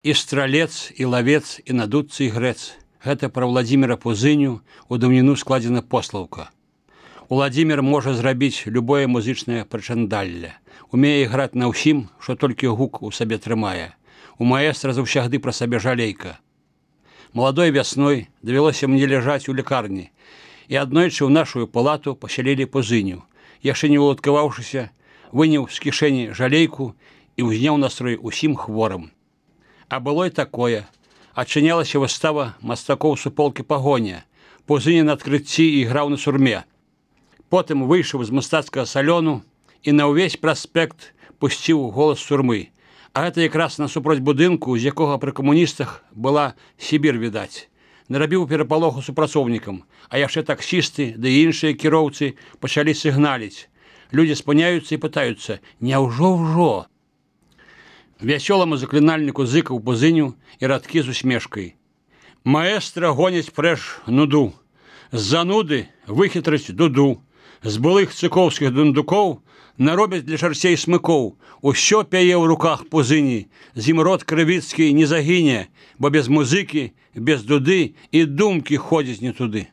І стралец, і лавец, і надутцы, і грэц. Гэта пра Владзіміра Пузыню у даўніну складзена послаўка. Уладзімір можа зрабіць любое музычнае прычандалле. Умее іграць на ўсім, што толькі гук у сабе трымае. У маэстра заўсягды пра сабе жалейка. Маладой вясной давялося мне ляжаць у лекарні, і аднойчы ў нашу палату пасялілі Пузыню. Яшчэ не уладкаваўшыся, выняў з кішэні жалейку і ўзняў настрой усім хворым. А было і такое. Адчынялася выстава мастакоў суполкі «Пагоня». Пузыня на адкрыцці іграў на сурме. Потым выйшаў з мастацкага салёну і на ўвесь праспект пусціў голас сурмы. А гэта якраз насупроць будынку, з якога пры камуністах была Сібір відаць. Нарабіў перапалоху супрацоўнікам, а яшчэ таксісты ды іншыя кіроўцы пачалі сігналіць. Людзі спыняюцца і пытаюцца: «Няўжо ўжо?» Вясёламу заклінальніку зыкаў Пузыню і радкі з усмешкай. Маэстра гоняць прэч нуду. З-за нуды выхітрыць дуду. З былых цыкоўскіх дундукоў наробяць для чарцей смыкоў. Усё пяе ў руках Пузыні. З ім род крывіцкі не загіне, бо без музыкі, без дуды і думкі ходзіць не туды.